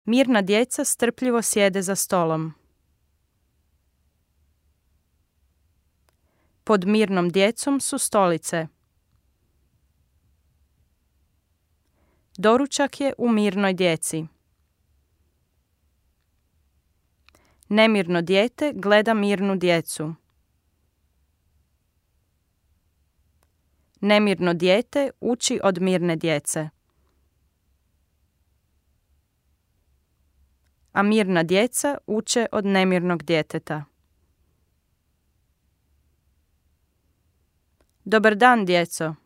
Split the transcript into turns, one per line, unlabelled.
Mirna djeca strpljivo sjede za stolom. Pod mirnom djecom su stolice. Doručak je u mirnoj djeci. Nemirno dijete gleda mirnu djecu. Nemirno dijete uči od mirne djece. A mirna djeca uče od nemirnog djeteta. Dobar dan, djeco.